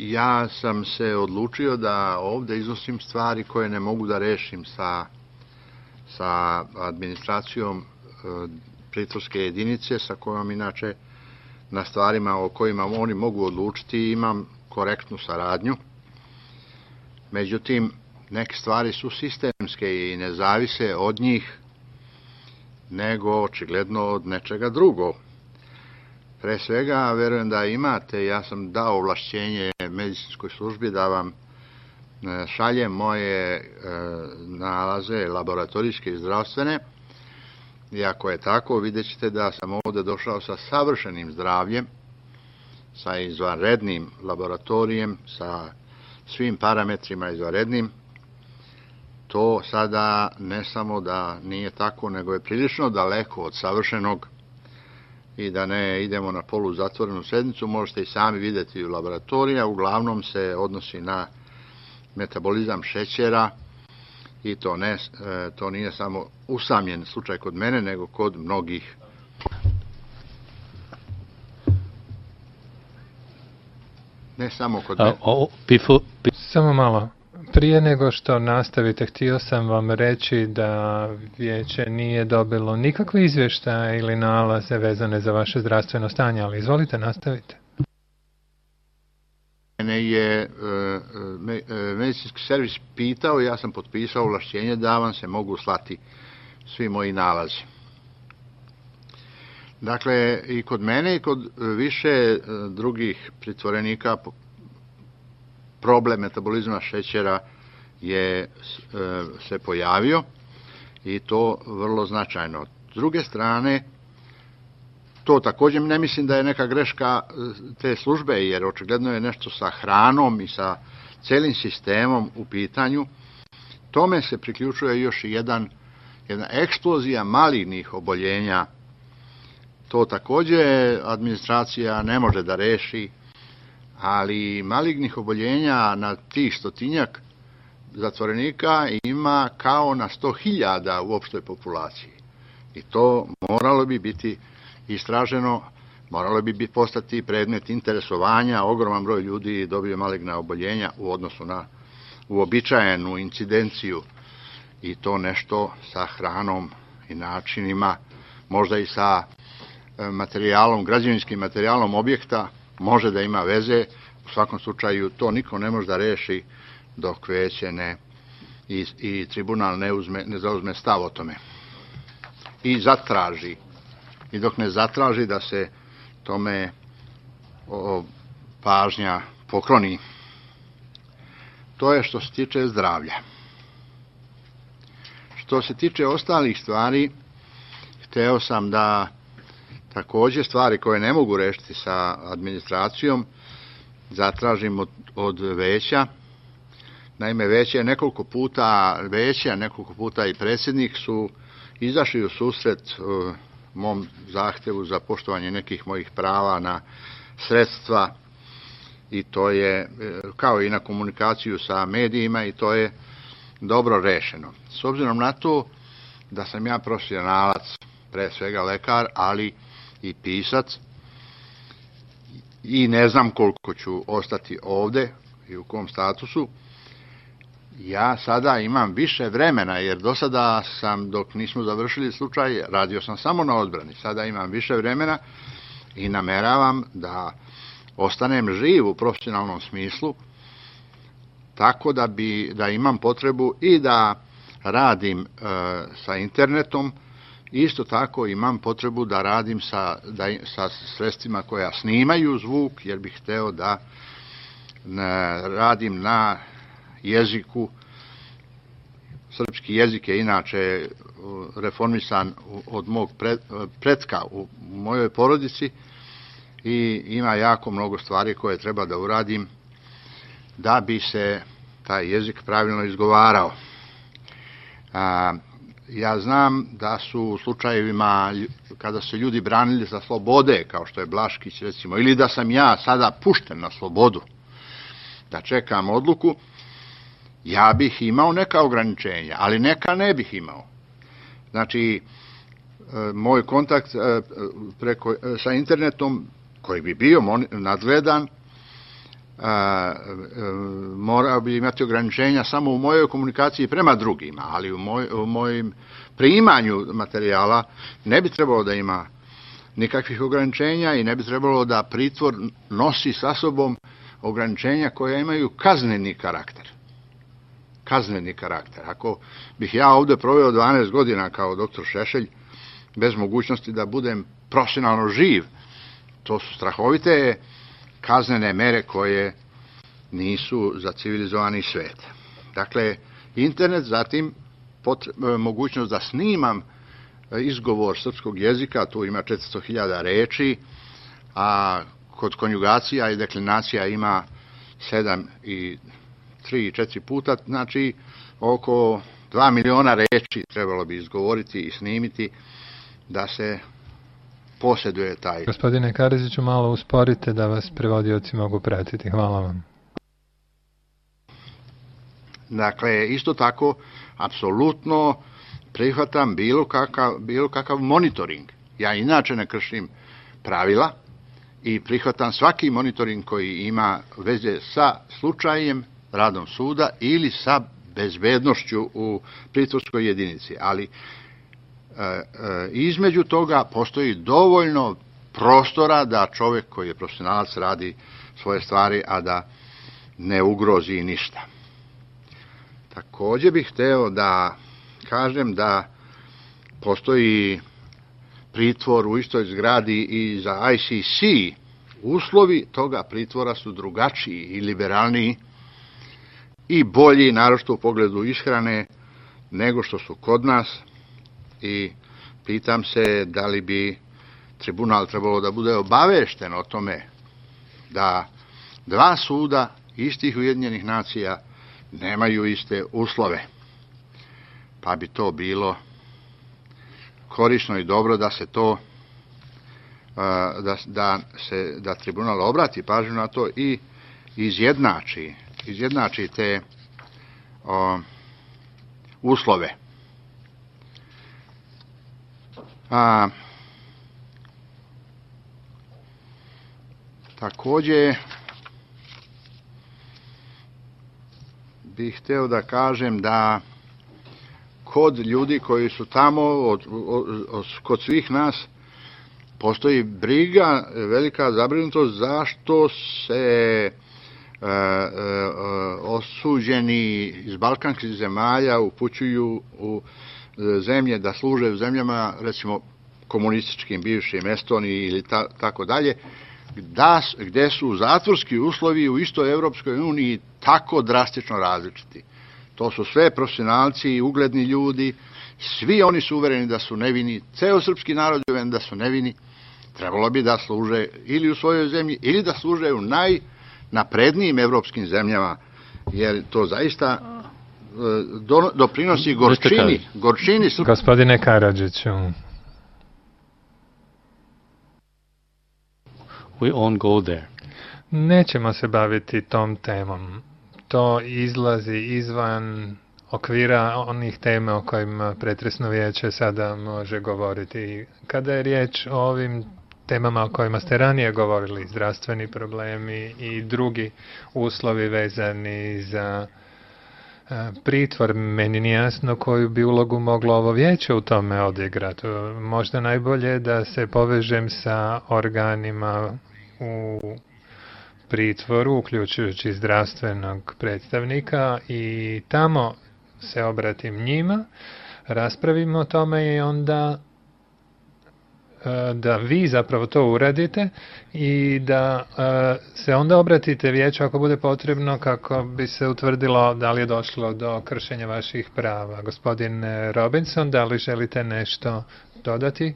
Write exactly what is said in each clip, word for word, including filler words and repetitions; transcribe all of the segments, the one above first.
ja sam se odlučio da ovde iznosim stvari koje ne mogu da rešim sa, sa administracijom pritvorske jedinice, sa kojom inače na stvarima o kojima oni mogu odlučiti imam korektnu saradnju. Međutim, neke stvari su sistemske i ne zavise od njih, nego očigledno od nečega drugog. Pre svega, verujem da imate, ja sam dao ovlašćenje medicinskoj službi da vam šaljem moje nalaze laboratorijske i zdravstvene. I ako je tako, vidjet ćete da sam ovde došao sa savršenim zdravljem, sa izvanrednim laboratorijem, sa svim parametrima izvanrednim. To sada ne samo da nije tako, nego je prilično daleko od savršenog i da ne idemo na polu zatvorenu sednicu, možete i sami vidjeti u laboratorija, uglavnom se odnosi na metabolizam šećera i to, ne, to nije samo usamljen slučaj kod mene, nego kod mnogih. Ne samo kod mene. Samo malo. Prije nego što nastavite, htio sam vam reći da vijeće nije dobilo nikakve izvještaje ili nalaze vezane za vaše zdravstveno stanje, ali izvolite, nastavite. Mene je medicinski servis pitao, ja sam potpisao ovlašćenje da vam se mogu slati svi moji nalazi. Dakle, i kod mene i kod više drugih pritvorenika problem metabolizma šećera je se pojavio i to vrlo značajno. S druge strane, to također ne mislim da je neka greška te službe, jer očigledno je nešto sa hranom i sa celim sistemom u pitanju. Tome se priključuje još jedan, jedna eksplozija malignih oboljenja. To također administracija ne može da reši, ali malignih oboljenja na tih stotinjak zatvorenika ima kao na sto hiljada u opštoj populaciji. I to moralo bi biti istraženo, moralo bi postati predmet interesovanja, ogroman broj ljudi dobije maligna oboljenja u odnosu na uobičajenu incidenciju i to nešto sa hranom i načinima, možda i sa materijalom, građevinskim materijalom objekta, može da ima veze, u svakom slučaju to niko ne može da reši dok veće ne i, i tribunal ne, uzme, ne zauzme stav o tome i zatraži. I dok ne zatraži da se tome o, pažnja pokloni. To je što se tiče zdravlja. Što se tiče ostalih stvari, hteo sam da također stvari koje ne mogu rešiti sa administracijom zatražim od, od veća. Naime, veće je nekoliko puta, veće, nekoliko puta i predsjednik su izašli u susret uh, mom zahtevu za poštovanje nekih mojih prava na sredstva i to je kao i na komunikaciju sa medijima i to je dobro rešeno. S obzirom na to da sam ja profesionalac, pre svega lekar, ali i pisac i ne znam koliko ću ostati ovde i u kom statusu, ja sada imam više vremena, jer do sada sam, dok nismo završili slučaj, radio sam samo na odbrani. Sada imam više vremena i nameravam da ostanem živ u profesionalnom smislu, tako da, bi, da imam potrebu i da radim e, sa internetom, isto tako imam potrebu da radim sa, da, sa sredstvima koja snimaju zvuk, jer bih hteo da ne, radim na jeziku. Srpski jezik je inače reformisan od mog pretka u mojoj porodici i ima jako mnogo stvari koje treba da uradim da bi se taj jezik pravilno izgovarao. A, ja znam da su u slučajevima kada se ljudi branili za slobode, kao što je Blaškić recimo, ili da sam ja sada pušten na slobodu, da čekam odluku, ja bih imao neka ograničenja, ali neka ne bih imao. Znači, moj kontakt preko, sa internetom, koji bi bio nadgledan, a, morao bi imati ograničenja samo u mojoj komunikaciji prema drugima, ali u, moj, u mojim primanju materijala ne bi trebalo da ima nikakvih ograničenja i ne bi trebalo da pritvor nosi sa sobom ograničenja koja imaju kazneni karakter. Kazneni karakter. Ako bih ja ovde proveo dvanaest godina kao doktor Šešelj, bez mogućnosti da budem profesionalno živ, to su strahovite kaznene mere koje nisu za civilizovani svet. Dakle, internet, zatim mogućnost da snimam izgovor srpskog jezika, tu ima četiristo hiljada reči, a kod konjugacija i deklinacija ima sedam i tri i četiri puta, znači oko dva miliona reči trebalo bi izgovoriti i snimiti da se posjeduje taj. Gospodine Karadžiću, malo usporite da vas prevodioci mogu pratiti. Hvala vam. Dakle, isto tako, apsolutno prihvatam bilo kakav, bilo kakav monitoring. Ja inače ne kršim pravila i prihvatam svaki monitoring koji ima veze sa slučajem, radom suda ili sa bezbednošću u pritvorskoj jedinici. Ali e, e, između toga postoji dovoljno prostora da čovjek koji je profesionalac radi svoje stvari, a da ne ugrozi ništa. Također bih hteo da kažem da postoji pritvor u istoj zgradi i za I C C. Uslovi toga pritvora su drugačiji i liberalniji i bolji, naročito u pogledu ishrane, nego što su kod nas. I pitam se da li bi tribunal trebalo da bude obavešten o tome da dva suda istih Ujedinjenih nacija nemaju iste uslove. Pa bi to bilo korisno i dobro da se to da, da se da tribunal obrati pažnju na to i izjednači izjednači te o, uslove. A, također bih hteo da kažem da kod ljudi koji su tamo, od, od, od, kod svih nas, postoji briga, velika zabrinutost zašto se e, e, osuđeni iz balkanskih zemalja upućuju u zemlje da služe u zemljama, recimo, komunističkim, bivšim, Estoniji ili ta, tako dalje, da, gde su zatvorski uslovi u istoj Evropskoj uniji tako drastično različiti. To su sve profesionalci i ugledni ljudi, svi oni su uvereni da su nevini, ceo srpski narod je uveren da su nevini, trebalo bi da služe ili u svojoj zemlji, ili da služe u najnaprednijim evropskim zemljama, jer to zaista do, doprinosi gorčini. gorčini srp... Gospodine Karadžiću. We won't go there. Nećemo se baviti tom temom. To izlazi izvan okvira onih tema o kojima pretresno vijeće sada može govoriti. Kada je riječ o ovim temama o kojima ste ranije govorili, zdravstveni problemi i drugi uslovi vezani za pritvor, meni nije jasno koju bi ulogu moglo ovo vijeće u tome odigrati. Možda najbolje da se povežem sa organima u pritvoru, uključujući zdravstvenog predstavnika, i tamo se obratim njima, raspravimo o tome i onda da vi zapravo to uradite i da se onda obratite vijeću ako bude potrebno, kako bi se utvrdilo da li je došlo do kršenja vaših prava. Gospodin Robinson, da li želite nešto dodati?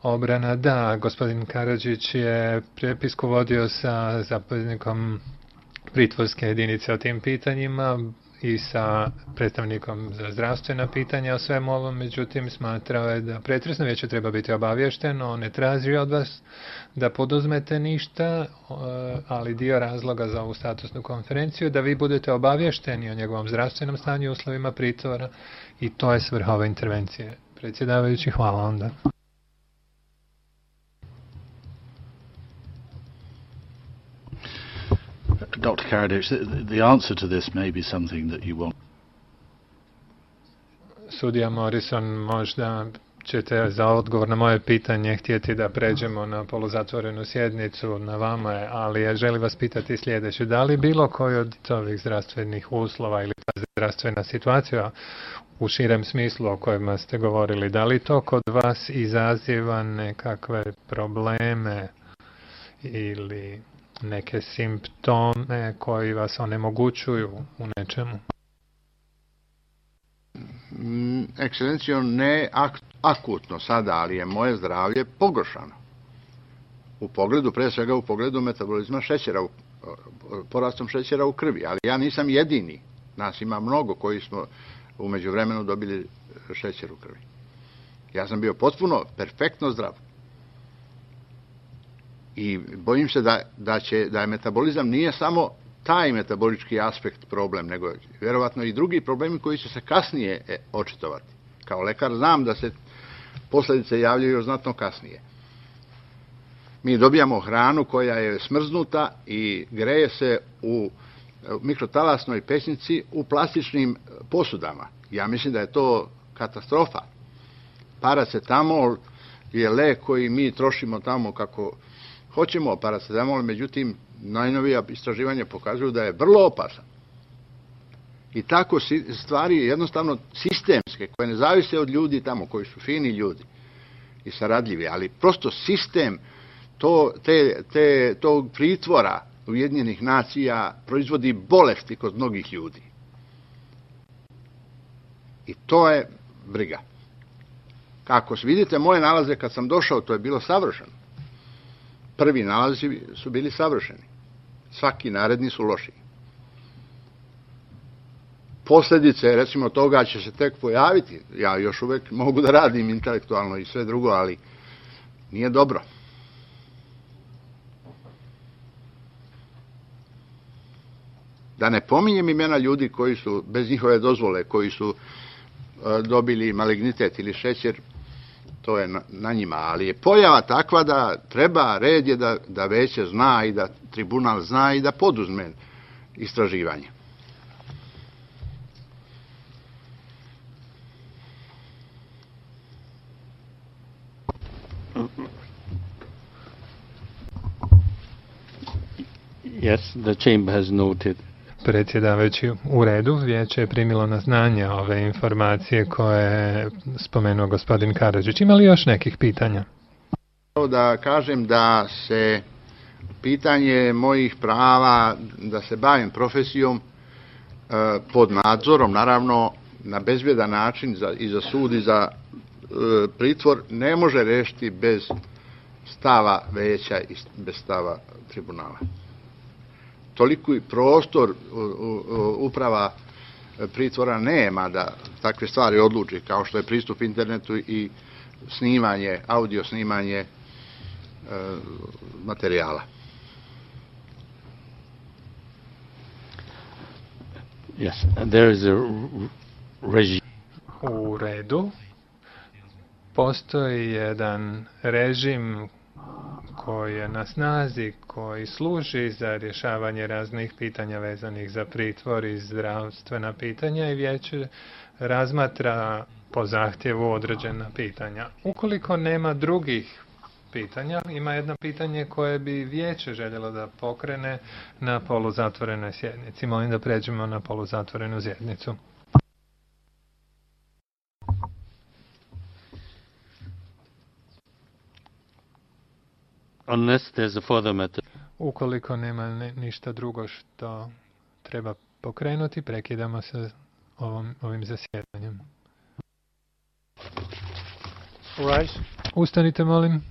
Obrana, da. Gospodin Karadžić je prepisku vodio sa zapovjednikom pritvorske jedinice o tim pitanjima i sa predstavnikom za zdravstvena pitanja o svemu ovom, međutim smatrao je da pretresno vijeće treba biti obavješteno, on ne traži od vas da poduzmete ništa, ali dio razloga za ovu statusnu konferenciju da vi budete obavješteni o njegovom zdravstvenom stanju i uslovima pritvora, i to je svrha ove intervencije. Predsjedavajući, hvala onda. Doctor Karadzic, the, the answer to this may be something that you won't. Sudija Morrison, možda ćete za odgovor na moje pitanje htjeti da pređemo na poluzatvorenu sjednicu, na vama je, ali ja želim vas pitati sljedeće. Da li bilo koji od ovih zdravstvenih uslova ili ta zdravstvena situacija u širem smislu o kojima ste govorili, da li to kod vas izaziva nekakve probleme ili neke simptome koji vas onemogućuju u nečemu? Ekscelencijo, ne ak- akutno sada, ali je moje zdravlje pogoršano. U pogledu, pre svega u pogledu metabolizma šećera, u, porastom šećera u krvi, ali ja nisam jedini. Nas ima mnogo koji smo u međuvremenu dobili šećer u krvi. Ja sam bio potpuno, perfektno zdrav. I bojim se da, da, će, da je metabolizam nije samo taj metabolički aspekt problem, nego vjerovatno i drugi problemi koji će se kasnije očitovati. Kao lekar znam da se posljedice javljaju još znatno kasnije. Mi dobijamo hranu koja je smrznuta i greje se u mikrotalasnoj pećnici u plastičnim posudama. Ja mislim da je to katastrofa. Paracetamol je lek koji mi trošimo tamo kako hoćemo, paracetamol, međutim, najnovija istraživanja pokazuju da je vrlo opasan. I tako stvari jednostavno sistemske, koje ne zavise od ljudi tamo, koji su fini ljudi i saradljivi, ali prosto sistem to, te, te, tog pritvora Ujedinjenih nacija proizvodi bolesti kod mnogih ljudi. I to je briga. Kako vidite, moje nalaze kad sam došao, to je bilo savršeno. Prvi nalazi su bili savršeni. Svaki naredni su loši. Posljedice, recimo, toga će se tek pojaviti. Ja još uvek mogu da radim intelektualno i sve drugo, ali nije dobro. Da ne pominjem imena ljudi koji su, bez njihove dozvole, koji su uh, dobili malignitet ili šećer, to je na, na njima, ali je pojava takva da treba, red je da, da veće zna i da tribunal zna i da poduzme istraživanje. Yes, the chamber has noted. Predsjedavajući, u redu, vijeće je primilo na znanje ove informacije koje je spomenuo gospodin Karadžić. Ima li još nekih pitanja? Da kažem da se pitanje mojih prava da se bavim profesijom pod nadzorom, naravno na bezbjedan način za, i za sud i za e, pritvor, ne može rešiti bez stava veća i bez stava tribunala. Toliko i prostor uprava pritvora nema da takve stvari odluči, kao što je pristup internetu i snimanje, audio snimanje e, materijala. Yes, there is a regime. U redu. Postoji jedan režim koji je na snazi, koji služi za rješavanje raznih pitanja vezanih za pritvor i zdravstvena pitanja i vijeće razmatra po zahtjevu određena pitanja. Ukoliko nema drugih pitanja, ima jedno pitanje koje bi vijeće željelo da pokrene na poluzatvorenoj sjednici. Molim da pređemo na poluzatvorenu sjednicu. Unless there's a further matter. Ukoliko nema ne, ništa drugo što treba pokrenuti, prekidamo se ovom, ovim zasjedanjem. All right. Ustanite, molim.